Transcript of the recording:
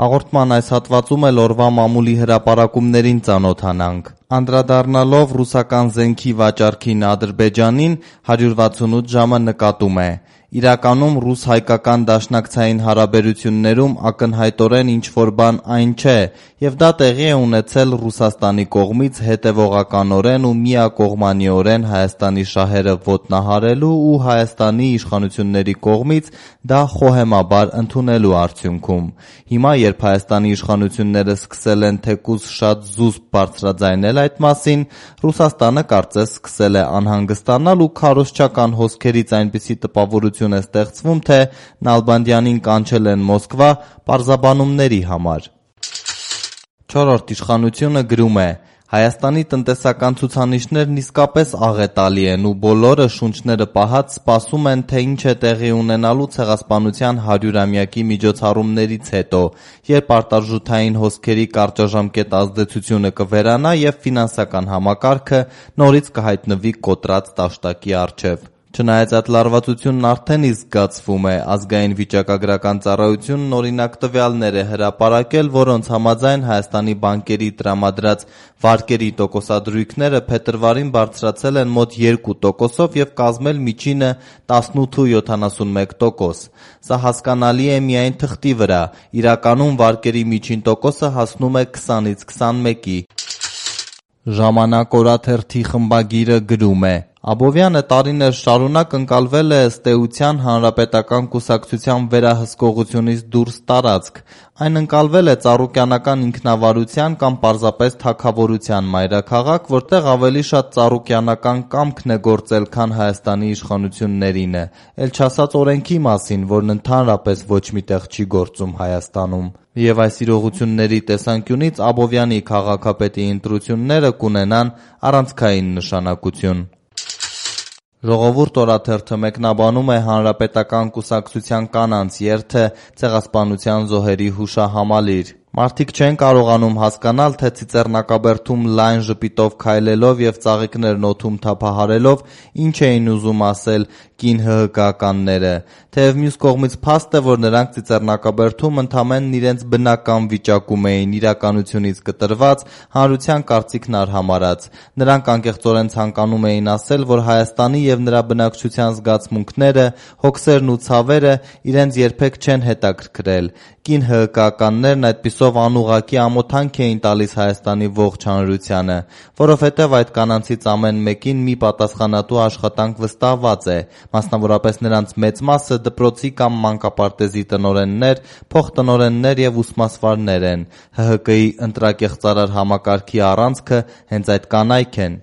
Հաղորդման այս հատվածում էլ օրվա մամուլի հրապարակումներին ծանոթանանք։ Անդրադառնալով ռուսական զենքի վաճառքին Ադրբեջանին, 168 ժամը նկատում է. իրականում ռուս-հայկական դաշնակցային հարաբերություններում ակնհայտորեն ինչ-որ բան այն չէ, և դա տեղի է ունեցել Ռուսաստանի կողմից հետևողականորեն ու միակողմանիորեն Հայաստանի շահերը ոտնահարելու ու Հայաստանի իշխանությունների կողմից դա խոհեմաբար ընդունելու արդյունքում։ Հիմա, երբ Հայաստանի իշխանությունները սկսել են թեկուզ շատ զուսպ բարձրաձայնել այդ մասին, Ռուսաստանը կարծես սկսել է անհանգստանալ ու քարոզչական հոսքերից այնպիսի տպավորություն է ստեղծվում, թե Նալբանդյանին կանչել են Մոսկվա պարզաբանումների համար։ Չորրորդ իշխանությունը գրում է. Հայաստանի տնտեսական ցուցանիշներն իսկապես աղետալի են ու բոլորը շունչները պահած սպասում են, թե ինչ է տեղի ունենալու Ցեղասպանության 100-ամյակի միջոցառումներից հետո, երբ արտարժութային հոսքերի կարճաժամկետ ազդեցությունը կվերանա և ֆինանսական համակարգը նորից կհայտնվի կոտրած տաշտակի առջև։ Չնայած այդ լարվածությունն արդեն իսկ զգացվում է, Ազգային վիճակագրական ծառայությունն օրինակ տվյալներ է հրապարակել, որոնց համաձայն Հայաստանի բանկերի տրամադրած վարկերի տոկոսադրույքները փետրվարին բարձրացել են մոտ 2%-ով և կազմել միջինը 18,71%։ Սա հասկանալի է միայն թղթի վրա, իրականում վարկերի միջին տոկոսը հասնում է 20-ից 21-ի։ Ժամանակ օրաթերթի խմբագիրը գրում է. Աբովյանը տարիներ շարունակ ընկալվել է ըստ էության Հանրապետական կուսակցության վերահսկողությունից դուրս տարածք։ Այն ընկալվել է ծառուկյանական ինքնավարության կամ պարզապես թագավորության մայրաքաղաք, որտեղ ավելի շատ ծառուկյանական կամքն է գործել, քան Հայաստանի իշխանություններինը, էլ չասած օրենքի մասին, որն ընդհանրապես ոչ մի տեղ չի գործում Հայաստանում։ Եվ այս իրողությունների տեսանկյունից Աբովյանի քաղաքապետի ընտրությունները կունենան առանցքային նշանակություն։ Ժողովուրդ օրաթերթը մեկնաբանում է Հանրապետական կուսակցության կանանց երթը Ցեղասպանության զոհերի հուշահամալիր։ Մարդիկ չեն կարողանում հասկանալ, թե Ծիծեռնակաբերդում լայն ժպիտով քայլելով և ծաղիկներն օդում թափահարելով ինչ էին ուզում ասել կին ՀՀԿ-ականները, թեև մյուս կողմից փաստ է, որ նրանք Ծիծեռնակաբերդում ընդամենն իրենց բնական վիճակում էին, իրականությունից կտրված, հանրության կարծիքն արհամարհած։ Նրանք անկեղծորեն ցանկանում էին ասել, որ Հայաստանի և նրա բնակչության զգացմունքները, հոգսերն ու ցավերը իրենց երբեք չեն հետաքրքրել։ Կին ՀՀԿ-ականներն այդպիսով անուղղակի ամոթանք էին տալիս Հայաստանի ողջ հանրությանը, որովհետև այդ կանանցից ամեն մեկին մի պատասխանատու աշխատանք վստահված է, մասնավորապես նրանց մեծ մասը դպրոցի կամ մանկապարտեզի տնօրեններ, փոխտնօրեններ և ուսմասվարներ են։ ՀՀԿ-ի ընտրակեղծարար համակարգի առանցքը հենց այդ կանայք են։